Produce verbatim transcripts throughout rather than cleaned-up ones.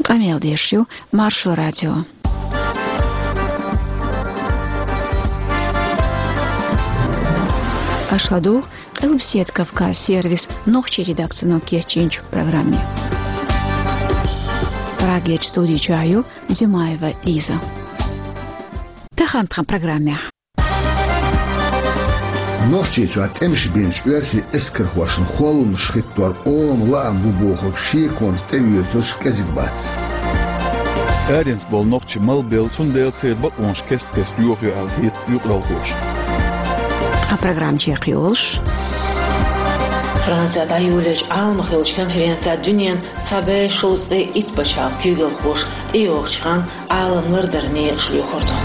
Къамел деш ю Маршо радио. Аша ладугӀу Къилбаседа Кавказ сервисан нохчийн редакцино кечйинчу программе. Прагерчу студи чохь ю Димаева Лиза. Тахана тхан программехь. Нохчийчохь тӀемаш бинчу оьрсийн эскархошна холламаш хӀиттор къоман лаам бу бохург шеконца тӀеоьцурш кӀезиг бац. Аренца болу нохчий мала белла, цундела церан бакъонаш кест-кеста йохайо аьлла хета юкъаралхоша. Ткъа программа чекхйолуш. Францехь дӀайолаеллачу Ӏаламхиллачу конференцехь дуьненан цхьа бӀе шовзткъе итт пачхьалкхан куьйгалхоша тӀейогӀучу ханна Ӏалам лардаран некъаш лоьхур ду.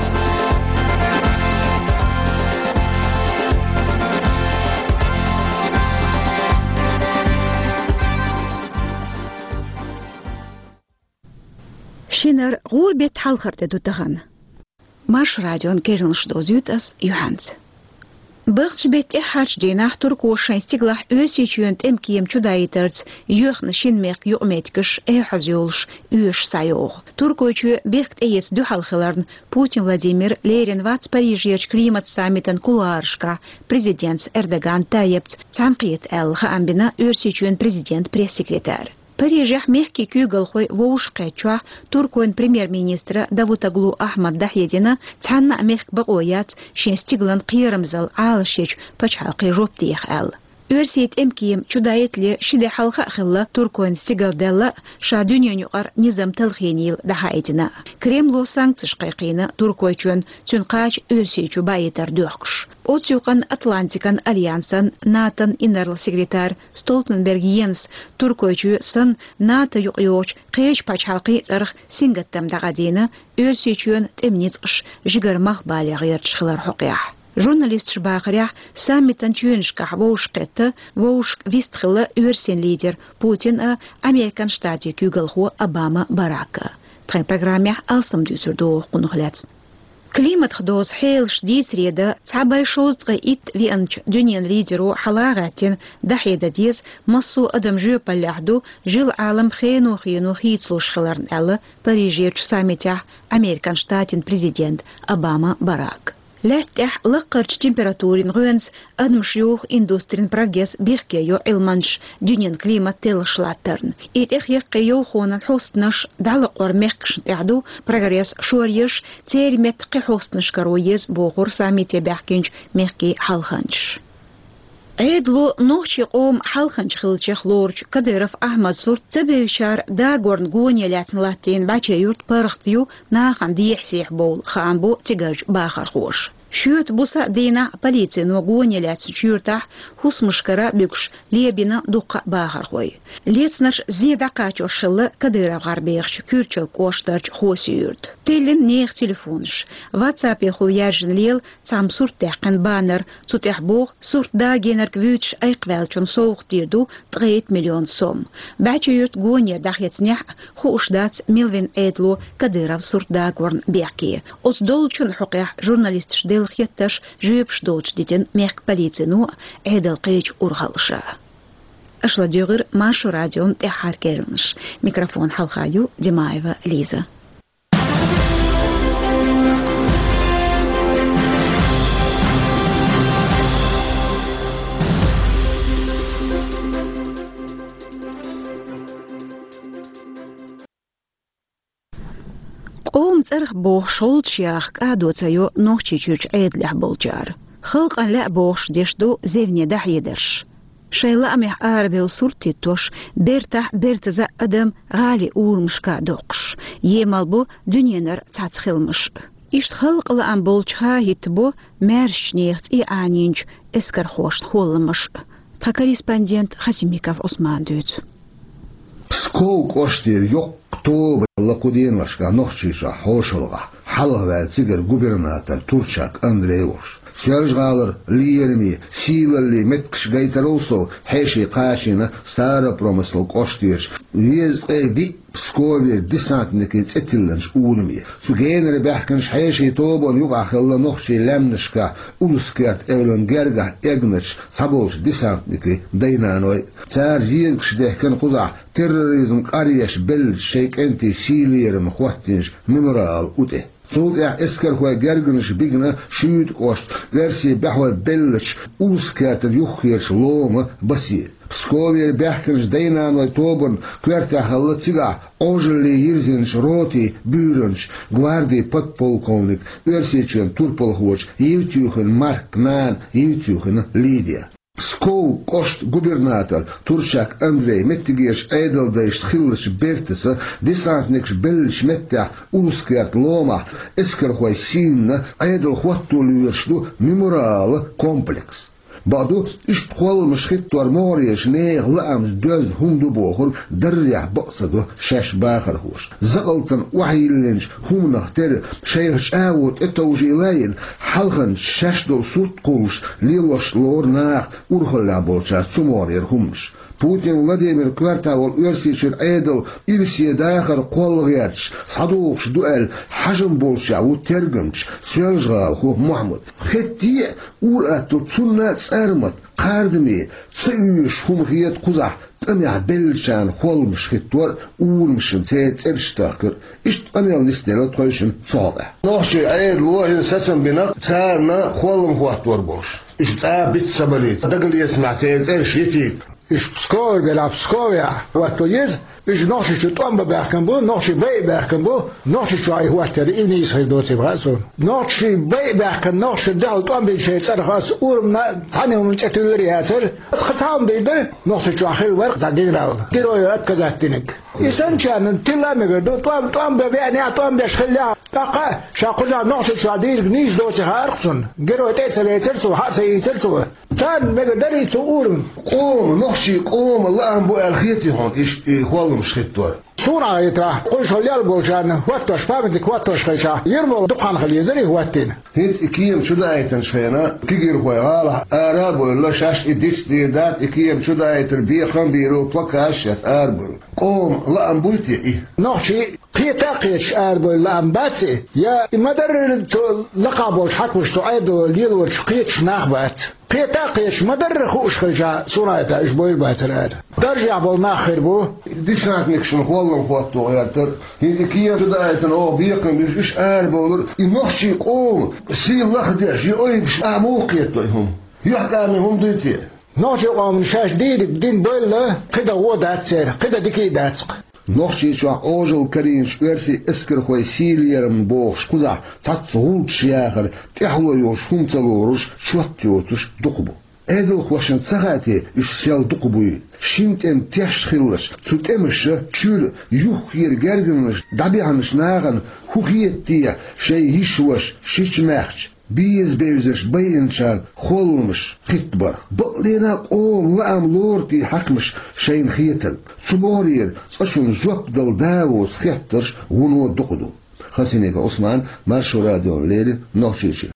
Шинара гӀуран беттан хьалхара де ду тахана. Маршо радион керланаш дозуьйту ас юьхьанца. Бахча беттан тӀаьххьарчу дийнахь туркоша шайн стигалахь Оьрсийчоьнан тӀеман кема чудаийтарца йоьхна шина мехкан юкъаметтигаш эхь хьоза йолуш оьшуш схьайогӀу. Туркойчоь бехк тӀеэца дуьхьал хиларна, Путин Владимир лерина вац Парижерчу климат-саммитан кулуарашкахь президентца Эрдоган Тайипца цхьаьнакхета аьлла, хаам бина Оьрсийчоьнан президентан пресс-секретарь. Парижехь мехкийн куьйгалхой вовшахкхеттачохь туркойн премьер-министра Давутоглу Ахьмада дӀахьедина, цхьанна а мехкан бакъо яц шен стигалан кхерамзалла Ӏалашъечу пачхьалкхе жоп деха аьлла. Оьрсийн тӀеман кема чудаийтале ши де хьалха а хилла туркойн стигал даьлла а, ша дуьненан юкъара низам талхийнийла дӀахьаийтина а. Кремло санкцеш кхайкхийна Туркойчоьнна, цуьнан кхача Оьрсийчу баийтар доьхкуш. Оцу юкъанна Атлантикан альянсан, НАТОн инарла секретарь Столтенберг Йенс Туркойчоь санна, НАТО юкъайогӀучу кхечу пачхьалкхийн цӀарах сингаттам дӀакъадийна, Оьрсийчоьнан тӀеман ницкъаш жигара малхбале гӀерташ хилар хьокъехь. Журналисташа бахарехь, саммитан чоьнашкахь вовшахкхетта, вовшашка вистхилла оьрсийн лидер Путин а, Американ Штатийн куьйгалхо Обама Барак а. Тхайн программехь алсам дуьйцур ду оха кхунах лаьцна. Климатах доцу хьелаш дийцаре дан цхьа бӀе шовзткъе итт веанчу дуьненан лидеро хьала а гӀаьттина, дӀахьедан деза, массо а адам жоьпаллехь ду, жил-Ӏалам хено-хено хийцалуш хиларна, аьлла Парижерчу саммитехь Американ Штатийн президента Обама Барака. Лаьтта тӀехь лаккхарчу температурин гӀоьнца адамаш юху индустрин прогресс бехке йо Ӏилманчаш дуьненан климат теллаш латтарна. И тӀехь яккхий йовхонан хьостанаш дӀалакъор мехкашна тӀехь ду, прогресс шоръеш, церан метта кхин хьостанаш каро еза, бохура саммите баьхкинчу мехкийн хьалханчаша. Ӏедало нохчийн къоман хьалханча хиллачех лоручу Кадыров Ахьмадан сурт ца бевзачара дагорна гоне лаьцна латтийна БӀаче-Юрт паргӀат ю, нахана дехьа-сехьа бовла, хаам бо цигарчу бахархоша. Шоьтан буса дийнахь полицино гоне лаьцначу юьртахь хӀусамашкара буьгуш лебина дуккха а бахархой. Лецнарш зен дӀакхачош хилла КадыровгӀар бехачу Куьрчалган кӀоштарчу Хоси-Юьрта. Тиллина нехан телефонаш. WhatsApp-ехула яьржина лела цхьамма сурт даьккхина баннер, цу тӀехь боху, сурт дагийнарг вуьйцуш айкхваьллачунна совгӀат дийр ду ткъе итт миллион сом. БӀаче-Юьрта гонера дӀахецнехь а, хууш дац мила вина Ӏедало Кадыровн сурт дагорна бехке. Оцу долчун хьокъехь журналисташа делла хеттарш жоьпаш доцуш дитина мехкан полицино а, Ӏедалан кхечу урхаллаша. Аша ладуьйгӀира Маршо радион тӀаьххьара керланаш. Микрофон хьалха ю Димаева Лиза. Къоман цӀарах бохуш, гӀулчаш яха кӀадо ца йо Нохчийчуьрчу Ӏедалехь болчара. Халкъана лаьа бохуш деш ду зевне дӀахьедарш. Шайн лаамехь арабевлла сурт хӀиттош, бертахь бертаза адам гӀалин урамашка доккхуш, емал бо дуьненара цхьацца хиламаш. Иштта халкъан лаам болчуха хӀиттабо маьршачу нехан цӀий Ӏанийначу эскархошна холламаш. Тхан корреспондента Хасимиков Ӏусмана дуьйцу. Псков кӀоштера йоккха тоба лакху деношкахь Нохчийчохь хьошалгӀахь хьалхаваьлла цигара губернатор Турчак Андрей волуш. Соьлжа-ГӀалара лераме, сийлалле меттигаш гайтарал сов хьеший кхачийна Старопромыслан кӀоштерчу везткъе диъ Псковера десантникийн цӀе тиллинчу ураме. Цу генара баьхкинчу хьешийн тобанна юкъахь хилла нохчийн лаьмнашкахь, Улус-Керта эвлан гергахь эгначу цхьаболчу десантникийн дай-наной. Цара зезагаш дехкина кхузахь терроризм къаръеш беллачу шайн кӀентийн сийлаллехь хӀоттийначу мемориалан у тӀе. Цул тӀаьхьа эскархойн гергарнаш бигна Шуьйта кӀоштан оьрсийн баьхой беллачу Улус-Кертан юххерчу ломан басе. Псковера баьхкинчу дай-наной тобанна коьртехь хилла цигахь Ӏожалле йирзинчу ротин буьйранчин гвардин подполковник, Оьрсийчоьнан турпалхочу Евтюхин Маркин нана Евтюхина Лидия. Псков кӀоштан губернатор Турчак Андрей меттигерчу Ӏедалдайшна хиллачу бертаца десантникаш беллачу меттехь Улус-Керта ломахь эскархой сийнна Ӏедал хӀотто лоьруш ду мемориалан комплекс. Бакъду, иштта кхолламаш хӀиттор могӀарерчу нехан лаамца доьзна хӀума ду бохург даррехь бакъ ца до шаьш бахархоша. Закъалтана охьайиллинчу хӀуманах тера шайх чӀагӀо тӀетовжийла а йина, хьалханчу шаьш долу сурт кхуллуш лелош лору наха урхаллехь болчара цу могӀарера хӀуманаш. Путин Владимир коьрта волу Оьрсийчуьра Ӏедал ирсе дахар кхолла гӀерташ схьадогӀуш ду аьлла хьажам болчехь ву тергамча Соьлжа-ГӀалахо Мухьаммад. Хетте а, ур-атталла цунна а цӀармат, кхардаме ца оьшуш хӀума хета кхузахь тӀамехь беллачарна кхолламаш хӀиттор а, урамашна церан цӀераш тахкар а. Иштта къамел нисделла тхойшинна цу хьокъехь. Нохчийн Ӏедало хӀинца сацам бина, царна кхоллам хӀоттор болуш. Уьш цкъа а биц ца балийта, дагалецамехь церан цӀераш йитийта. Уьш Пскове белахь, Псковехь хӀотто еза, уьш Нохчийчу тӀом бан баьхкина бу, нохчий байа баьхкина бу, Нохчийчохь и хӀоттор и нийса хир доцийла хаьа суна. Нохчий байа баьхкина, нохчашна дуьхьал тӀом бина шайн цӀарах аса урамна цхьана хӀуманна цӀе туьллур яцара. Тхан цхьа хӀума дийр дара, Нохчийчохь хилла вара тхан генерал, герой отказать динарг. И санначарна тилла а мегар ду, тӀом, тӀом бан веанехь, тӀом беш хиллехь, тӀаккха а ша кхузахь Нохчийчохь дийриг нийса доций хаьара-кх цунна. Герой тӀе а ца лецара цо, хьа а ца ийцара цо. Царна мегар дарий цу урамна? Къоман, нохчийн къоман лаам бу аьлла хетий хьуна иштта и кхолламаш хӀиттор? Суна а хетарехь, кхузахь лелла болчарна хӀоттош, памятник хӀоттош хилчахь, ермол дукха хан хила езарий хӀоттийна? ХӀинца и кема чу даийтинчу хенахь, кегийрхой гӀалахь ара а бевлла, шаьш и дицдийр дац, и кема чу даийтар бекхам а бийр бу, плакаташ а шаьш ара а бевлла. Къоман лаам буй те и? Нохчий кхета а кхеташ арабевлла лаам бац и, я и ма-дарра цу лакхахь болчу хьаькамаша, цу Ӏедало лелочух кхеташ нах бац? Кхета а кхеташ, ма-дарра хууш хилчахь, суна а хетарехь, уьш бовр бацара ара. Даржехь болу нах хир бу. Десантникашна кхоллам хӀотто гӀертар, хӀинца и кема чу даийтина оха бекхам беш, уьш арабовлар, и нохчийн къоман сий лахдеш, и ойбуш а муха кхетадо и хӀума? ЮьхькӀаме хӀума дуй те? Нохчийн къомана шаьш дийриг дина бевлла, кхин дан гӀо дац церан, кхин дан дика а дац-кх. Нохчийчохь Ӏожалла карийначу оьрсийн эскархойн сийлаллехь бохуш кхузахь цхьацца гӀулчаш яхар тӀаьхьало йолуш хӀума ца лоруш, чот йоцуш дукха бу. Ӏедалхошна ца хаьа те, уьш сел дукха буй? Шина тӀеман теш хилча, цу тӀемаша чуьра юххера гергарнаш дӀабаьхначу нахана хӀун хета те шайн йиша-ваша, шича-маьхча, беза-бевзарш байинчарна кхолламаш хӀиттабарх? Бакъдерг а къоман лаам лору те хьаькамаша шайна хетарг? Цу могӀарера цкъачунна жоп дала да а воцу хеттарш вуно дукха ду. Хасимиков Ӏусман, Маршо радиона леррина, Нохчийчуьра.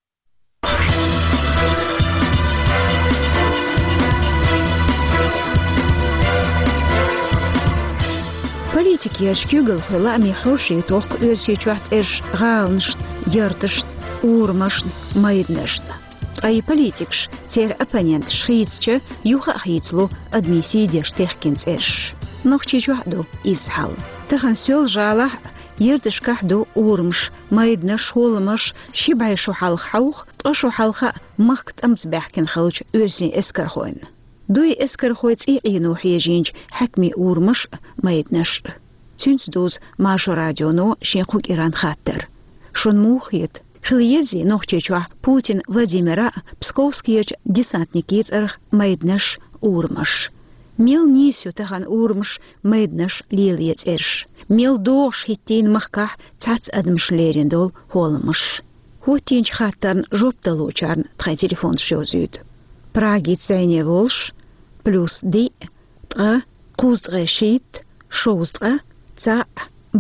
Политикерчу куьйгалхойн лаамийн хьорший тохку Оьрсийчохь цӀераш гӀаланашна, ярташна, урамашна, майданашна. Ткъа и политикаш, церан оппоненташ хийцича, юха а хийцало адамийн сий деш техкина цӀераш. Нохчийчохь а ду изза хьал. Тахана Соьлжа-ГӀалахь а, ярташкахь а ду урамаш, майданаш, хӀолламаш ши бӀе шо хьалха хьовха, ткъа шо хьалха а махка тӀамца баьхкина хиллачу оьрсийн эскархойн. Дуй эскархойн цӀий Ӏено хьежийначу хьаькамийн урамаш а, майданаш а. Цуьнца дузу Маршо радионо шен кху кӀиранна хаттар. Шуна муха хета, хила езий Нохчийчохь Путин Владимира а, Псковскерчу десантникийн цӀарах майданаш а, урамаш? Мел нийса ю тахана урамаш, майданаш лелае цӀераш? Мел догӀуш хӀиттийна махкахь цхьацца адамаша лерина долу хӀолламаш? ХӀоттийначу хаттарна жоп далочарна тхайн телефонаш йовзуьйту. Прагица зӀене волуш: плюс диъ, ткъа, кхузткъе шийтта, шовзткъа, цхьаъ,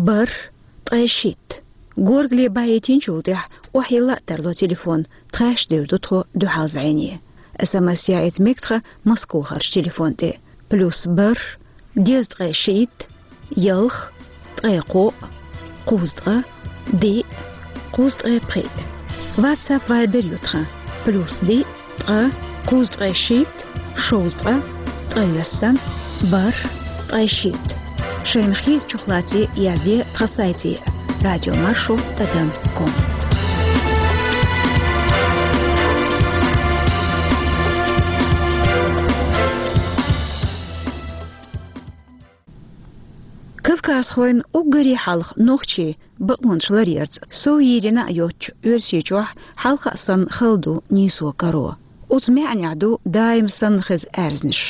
бархӀ, ткъе шийтта. Горгали баийтинчул тӀаьхьа охьайилла а тарло телефон, тхаьш девр ду тхо дуьхьал зӀене. СМС яийта мега тхан Москвахарчу телефон тӀе: плюс бархӀ, дезткъе шийтта, ялх, ткъаь кхоъ, кхузткъа, диъ, кхузткъаь пхиъ. WhatsApp, Viber ю тхан: плюс диъ, ткъа, кхузткъаь шийтта, шовзткъа, ткъаь ялсам, бархӀ, ткъаь шийтта. Шайна хетачух лаций, язде тхан сайте: радиомаршо тӀадам ком. Кавказхойн уггаре хьалха нохчий бакъонаш ларъярца сов йийрина а йоццуш, Оьрсийчохь хьалха а санна хала ду нийсо, каро. Оцу маьӀнехь ду даим санна хеза аьрзнаш.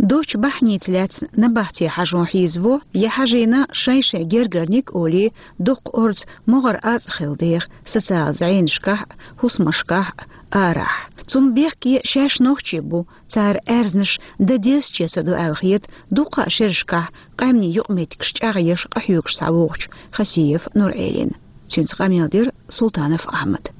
Доцчу бахьаница лаьцна набахте хьажо хьийзаво, я хьажийна шайн-шайн гергарниг а олий, дуккха орца могӀара ацкъа хила деха социал зӀенашкахь а, хӀусамашкахь а, арахь. Цунна бехке шаьш нохчий бу, цара аьрзнаш дан дезаче ца до аьлла хета дуккха а шерашкахь къаьмнийн юкъаметтигаш чӀагӀъеш, къахьоьгуш схьавогӀучу Хасиев Нуръайлина. Цуьнца къамел дира Султанов Ахьмада.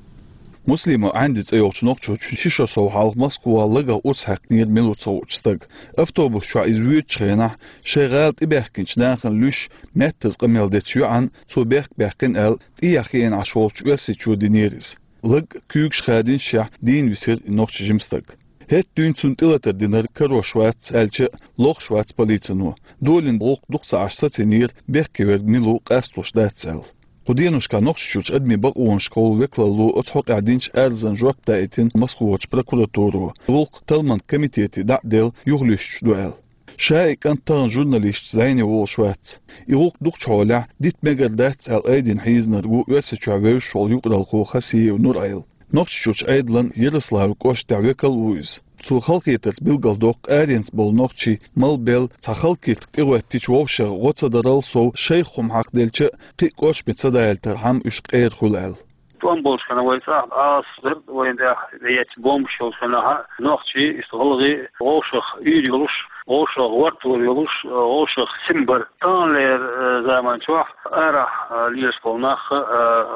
Муслимов Ӏанди цӀе йолчу нохчочун ши шо сов хьалха Москвахь лагах урс хьаькхнера мила ву ца хуучу стага. Автобус чохь иза воьдучу хенахь, шайн гӀала тӀебаьхкинчу нахана луьйш, маьттаза къамел дечу йоӀана цо бехк баьккхина аьлла, тӀехьа хиъна Ӏаш волчу Оьрсийчу динера иза. Лаг куьйгаш хадийначехь дийна висира и нохчи жима стаг. ХӀетахь дуьйна цунна тӀелатар динарг карош вац аьлча а, лохуш вац полицино. Долийна гӀуллакх дукха ца Ӏаш сацийнера, бехке верг мила ву къасталуш дац аьлла. Кху деношкахь Нохчийчуьрчу адамийн бакъонашкахула векалло оцу хьокъехь динчу арзан жоп даийтина Москвачу прокуратуро. ГӀуллакх талламан комитете дӀа а делла, юхалуьстуш ду аьлла. Ша и кӀант тахана журналисташца зӀене волуш вац. И гӀуллакх дукхачу хьолехь дита мегар дац аьлла айдина хьийзинарг ву Оьрсийчохь вевзаш волу юкъаралхо Хасиев Нуръайл. Нохчийчуьрчу Ӏедалан Ярославль кӀоштехь векал а ву иза. Цо халахетарца билгалдоккху аренца болу нохчий малбелла цхьа хала киртиг тӀегӀоьттича вовшех гӀо ца дарал сов, шайх хӀума хьакхаделча а, кхин а кӀоршаме ца далийтархьама уьш къера хуьлу аьлла. ТӀом болуш хенахь вай цӀахь Ӏаса дара, вайна тӀехь эцна бомбаш йолуш хенахь а, нохчий, иштта гӀалгӀай вовшах уьйр йолуш, вовшах гӀортор йолуш, вовшах сима бара. Таханлера, э, заман чохь арахь, э, лелаш болу нах, э,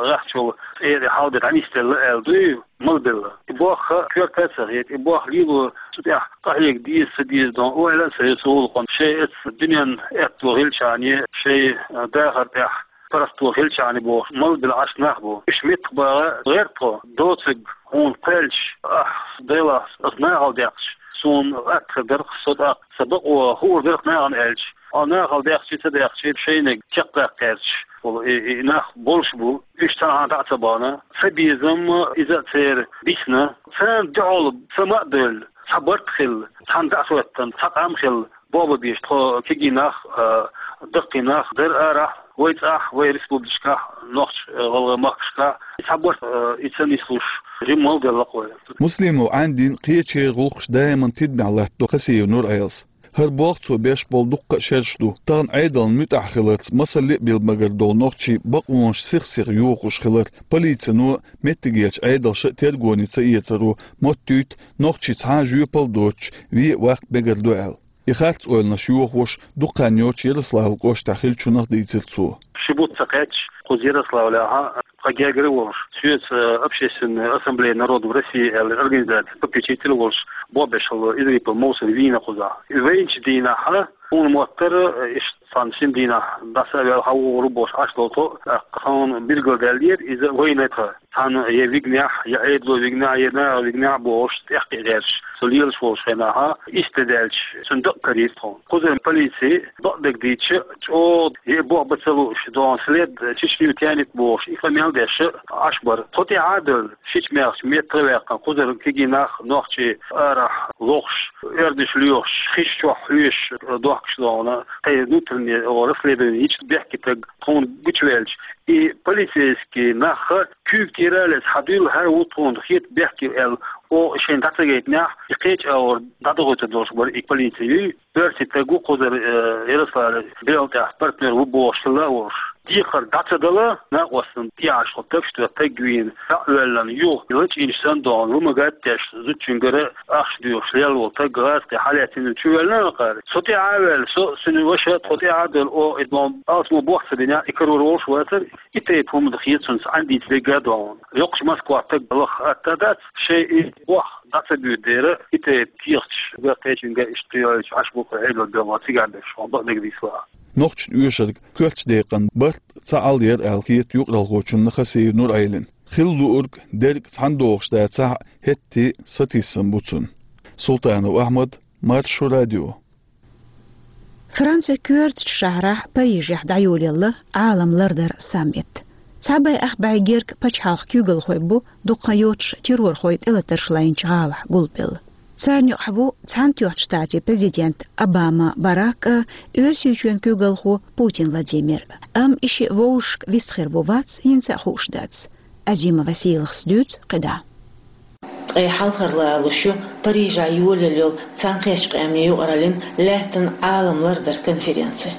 гӀеххьачул цӀера хьалбе дӀанисделла аьлла дуй, малбелла. И бохка коьрта а ца хета, и бохка лело цу тӀехь къахьега деза, ца деза дон ойла а ца йо цу гӀуллакхна. Шайн эцу дуьненан аьтто хилчахьана, шайн, э, дахар тӀехь паргӀато хилчахьана бохуш, малбелла Ӏаш нах бу. Уьш меттах багӀа гӀерта тхо, доцург хьуна кхоьллича, ахь, Делахь, ас нахала даьккхича, суна атта хир дара-кх со тӀаккха, сан бакъо хуур дара-кх нахана аьлча, хьо нахала даьккхича, ца даьккхича, шайниг чекхдаккха гӀерташ болу и, и нах болуш бу, уьш цхьанхьа дӀа а ца бахана. Сан безам иза а церан бисна, царна дуьхьал сан ма а девлла, цхьа барт хилла, цхьана дӀа а хӀоьттина, цхьа къам хилла, бохам беш тхо кегий нах а, даккхий нах а дара арахь, вай цӀахь, вай республикашкахь, нохч, а, гӀалгӀай махкашкахь, и цхьа барт, а, и ца нислуш, жимма малбелла-кх вай. Муслимов Ӏандин кхечеран гӀуллакхаш даиман тидамехь латтадо Хасиев Нуръайлас. ХӀара болх цо беш болу дуккха а шераш ду. Тахана Ӏедална муьтӀахь хиларца масалле а билла магар долу нохчий бакъонаш сих-сиха йохош хилар, полицино а, меттигерчу Ӏедалша а тергоне ца эцаро моттуьйту, нохчий цхьа а жоьпалла доцуш вен а ваккха мегар ду аьлла. И харц ойланаш йохош дукха хан йоццуш Ярославль кӀоштахь хиллачунах дийцира цо. Ши бутт ца кхаьчча, кхуза Ярославлехь, тхан гергара а волуш, Соьца общественная ассамблея народов России аьлла организацин попечитель а волуш, бобешал Изрипов Мовсар вийна кхузахь. И вайначу дийнахь, тхуна моттара, иштта цхьана шина дийнахь дӀаса а ваьлла, хьан вогӀур ву бохуш Ӏаш долу тхо, тӀаккха тхуна билгалдаьллера иза вайна тхан. Цхьана я вигнехь, я Ӏедало вигнехь, я наха вигнехь бохуш, тӀехкхиа гӀерташ, со лелаш волуш хенахь, иштта даьлча, цуьнан дакъа карийра тхуна. Кхузара полици, бакъдерг дийцича, чӀогӀа я и бохам бан ца лууш, догӀун след чечню тянет бохуш, и къамел деш Ӏаш бара. Тхо тӀаьхьа а девлла, шича-маьхча меттах а ваьккхина, кхузара кегий нах, нохчий арахь лохуш, оьрдаш лоьхуш, хиш чохь хьоьжуш, дохкуш догӀуна, тхайн внутреннее расследование йича бехке стаг тхуна гучуваьлча, и полицейский нах куьйга тӀера а лаьцна, хьан дуьйла хӀара ву тхуна хета бехке аьлла, оха шайна дӀа ца гайтинехь, и кхечу агӀор дӀадохуьйтур долуш бара и полици. Оьрсий стаг ву кхузара, э, Ярославлера белхан тӀехь партнер ву бохуш хилла а волуш. Декхар дӀа ца дала, накъостана тӀехьашха тапаш до стаг вийна, дӀа а воьллина, юха лачкъийначу санна догӀун, вымогать деш, зудчуьнгара ахча доьхуш лелла волу стаг гӀазкхи хьалаьцна чувоьллина а кхара. Со тӀаьхьа а ваьлла, со а, цуьнан ваша а, тхо тӀаьхьа а девлла, оха и догӀун алсамо бохь ца бинехь, и карор волуш вацара, и тайпа хӀума дан хета цунца Ӏандийца дерг а догӀун. Йоккхачу Москвахь стаг лаха атта дац, шайн и бохь дӀа ца буьйцу дера, и тайпа кехаташ, кхечуьнга иштта йоуьйтуш Ӏаш бу-кх Ӏедалан белхахой цигахь берш, хьуна бакъдерг дийцича. Нохчашна оьшург коьртачу декъан барт ца Ӏалла яра аьлла хета юкъаралхочунна Хасиев Нур-Ӏелина. Хила луург дерг цхьаьна догӀуш дацахь а, хӀетте а сатийсам бу цунна. Султанов Ахьмад, Маршо радио. Францин коьртачу шахьарахь Парижехь дӀайолаелла Ӏалам лардар саммит. Цхьа бӀе ах бӀе герга пачхьалкхан куьйгалхой бу дукха йоцуш террорхойн тӀелатарш лайначу гӀалахь гулбелла. Царна юкъахь ву Цхьаьнатоьхначу Штатийн президент Обама Барак а, Оьрсийчоьнан куьйгалхо Путин Владимир. Амма и шиъ вовшашка вистхир ву-вац, хӀинца а хууш дац. Азима Василахс дуьйцу кхидӀа. Ткъе хьалхара лоруш ю Парижехь йолаелла йолу Цхьаьнакхеттачу Къаьмнийн юкъараллин лаьттан Ӏалам лардар конференци.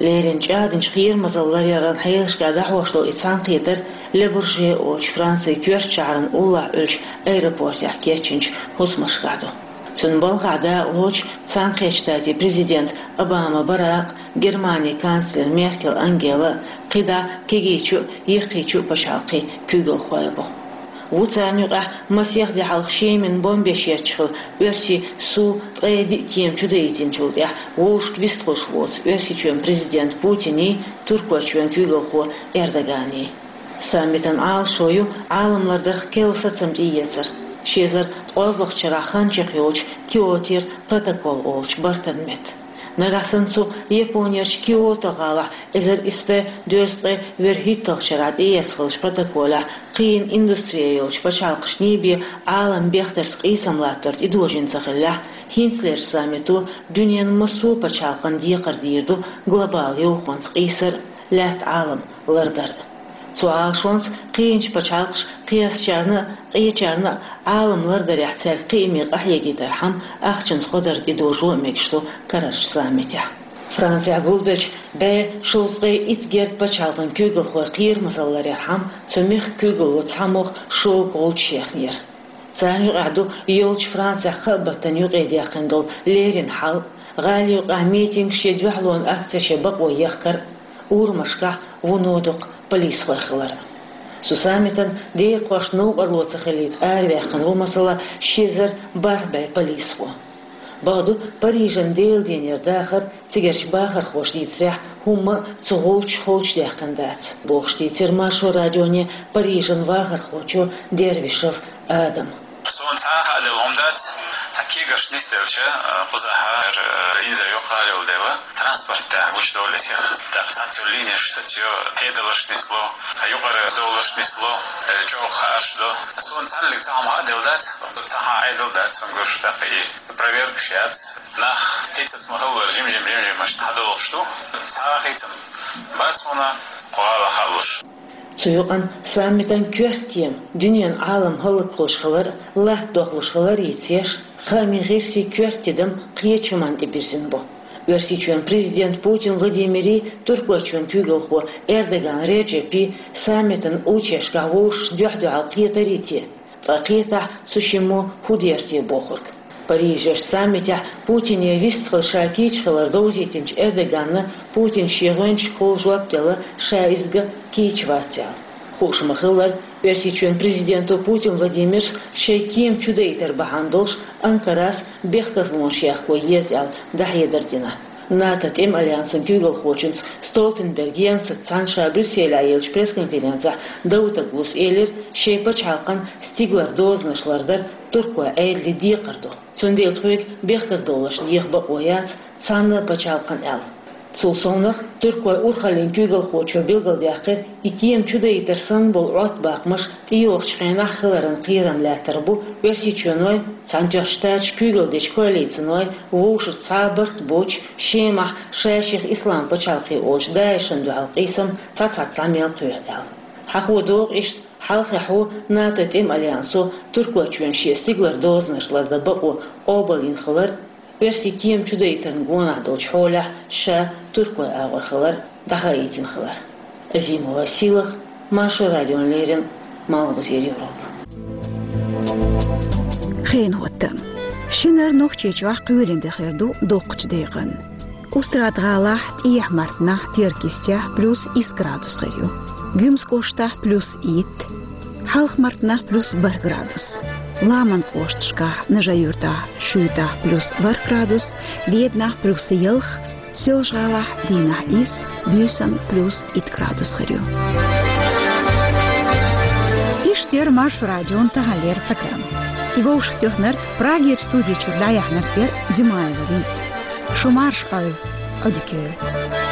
Леррина чӀагӀдинчу кхерамазалла ларъяран хьелашкахь дӀахьош долу и цхьаьнакхетар Le Bourget олучу Францин коьртачу шахьаран уллохь Ӏуьллучу аэропортехь кечйинчу хӀусамашкахь ду. Цуьнан балхахь дакъалоцуш Цхьаьнакхеттачу Штатийн президент Обама Барак, Германин канцлер Меркель Ангела, кхидӀа кегийчу а, йихкийчу а пачхьалкхийн куьйгалхой бу. Ву царна юкъахь масех де хьалха Шеман бомбеш етташ хилла оьрсийн Су ткъе диъ кема чудаийтинчул тӀаьхьа вовшашка вистхуьлуш воцу Оьрсийчоьнан президент Путиний, Туркойчоьнан куьйгалхо Эрдоганий. Саммитан Ӏалашо ю Ӏалам лардарх керла сацам тӀеэцар, ши эзар ткъолгӀачу шарахь хан чекхйолучу Киотера протокол олучу бартан метта. Нагахь санна цу Японерчу Киото гӀалахь эзар исс бӀе дезткъе ворхӀитталгӀачу шарахь тӀеэцна хиллачу протоколехь кхиъна индустри йолчу пачхьалкхашний бен Ӏалам бехдарца къийсам латтор тӀедожийна ца хиллехь, хӀинцалерчу саммито дуьненан массо а пачхьалкхан декхар дийр ду глобал йовхонца къийсар а, лаьтта Ӏалам лардар а. Цу Ӏалашонца кхиъначу пачхьалкхаша кхечарна а, къечарна а Ӏалам лардарехь цаьрга кхиаме къахьегийтархьама ахчанца гӀо дар тӀедожо а мегаш ду карарчу саммитехь. Францехь гулбеллачу бӀе шовзткъе итт герга пачхьалкхан куьйгалхойн кхерамазалла ларъярхьама цу мехкан куьйгалло цхьамогӀа шолгӀа гӀулч ехнера. Царна юкъахь ду йолчу Францехь кхаа баттана юкъадаьккхина долу леррина хьал, гӀала юкъахь митингаш я дуьхьалонан акцеш я бакъо ехкар а, урамашкахь вуно дукха полисхой хилар а. Цу саммитан декъашна новкъарло ца хилийта араваьккхина ву, масала, ши эзар бархӀ бӀе полисхо. Бакъду, Парижан Делан денера дахар, цигарчу бахархоша дийцарехь, хӀумма а цу гӀулчаша холчудаьккхина дац, бохуш дийцира Маршо радионе Парижан вахархочо Дервишев Адама. Суна цхьа а хааделла хӀума дац, цхьа кегаш нисделча, кхузахьа, э, инзаре юккъехь йолу дела, транспорт тӀехь гучудовлу эсех. ТӀаккха цхьацца йолу линеш сацайо, хьедаларш нисло, юкъара довларш нисло, э, чӀогӀа хаарш до. Суна цхьаннега цхьа хӀума хааделла дац, цхьа хьа Ӏедал дац, суна гуш, тӀаккха и проверкаш яц. Нах хӀинцац ма-хиллара жим-жим, жим-жимаш дӀадолуш ду. Цхьа а хийцам бац хьуна кху гӀалахь хаалуш. Цу юкъана саммитан коьрта тема дуьненан Ӏалам хӀаллакхуьлуш хилар а, латта дохлуш хилар а йицъеш, хаамийн гӀирсийн коьрта тидам кхечу хӀуманна тӀебирзина бу. Оьрсийчоьнан президент Путин Владимирий, Туркойчоьнан куьйгалхо Эрдоган Реджепий саммитан уллучерашкахь вовшашца дуьхь-дуьхьал кхетарий те? Ткъа кхетахь, цу шиммо хӀун дийр те бохург. Парижерчу саммитехь Путине вистхила ша кийча хилар довзийтинчу Эрдоганна Путина шен гӀоьнчашка хала жоп делла, ша иза ган кийча вац аьлла. Хууш ма-хиллара, Оьрсийчоьнан президенто Путин Владимира шайн кема чудаийтар бахьана долуш Анкарас бехказлонаш яккхо еза аьлла дӀахьедар дина. НАТО тӀеман альянсан куьйгалхочуьнца Столтенберг Йенсаца цхьаьна ша Брюсселехь еллачу пресс-конференцехь Давутоглус элира, шайн пачхьалкхан стигалара дозанаш лардар туркойн Ӏедалан декхар ду. Цундела тхоьга бехказдовларш деха бакъо яц цхьанна а пачхьалкхана аьлла. Цул совнах, туркойн урхаллин куьйгалхочо билгалдаьккхира, и кема чудаийтар санна болу Ӏоттабаккхамаш тӀейогӀучу хенахь хиларан кхерам лаьттар бу Оьрсийчоьнойн, Цхьаьнатоьхначу Штаташкахь куьйгалла дечу коалицинойн вовшашца цхьа а барт боцуш, Шемахь ша-шех Ислам пачхьалкх олучу ДАИШан дуьхьал къийсам цхьа-цхьацца мел кхоьхьу аьлла. Хьахо догӀу иштта, хьалххе хьо НАТО тӀеман альянсо Туркойчоьнна шен стигалара дозанаш лардан бакъо къобалйина хилар а, оьрсийн кема чудаийтарна гонах долчу хьолехь ша туркой агӀор хилар а дӀахаийтина хилар. Азимова Силах, Маршо радиона леррина, Малхбузера Европа. Хенан хӀоттам. Шинара Нохчийчохь кхоьлина де хир ду доккхачу декъана. Устрада-ГӀалахь, ТӀехьа-Мартанахь, Теркйистехь плюс исс градус хир ю. Гуьмсан кӀоштахь плюс итт, Хьалха-Мартанахь плюс бархӀ градус. Ламанан кӀошташкахь, Нажи-Юьртахь, Шуьйтахь плюс ворхӀ градус, Веданахь плюс ялх, Соьлжа-ГӀалахь дийнахь исс, буьйсанна плюс итт градус хир ю. Иштта яра Маршо радион таханлера программа. И вовшахтоьхнарг, Прагера студи чуьра дӀаяьхьнарг яра Зимаева Лиза. Шу марша Ӏойла, Ӏодика йойла.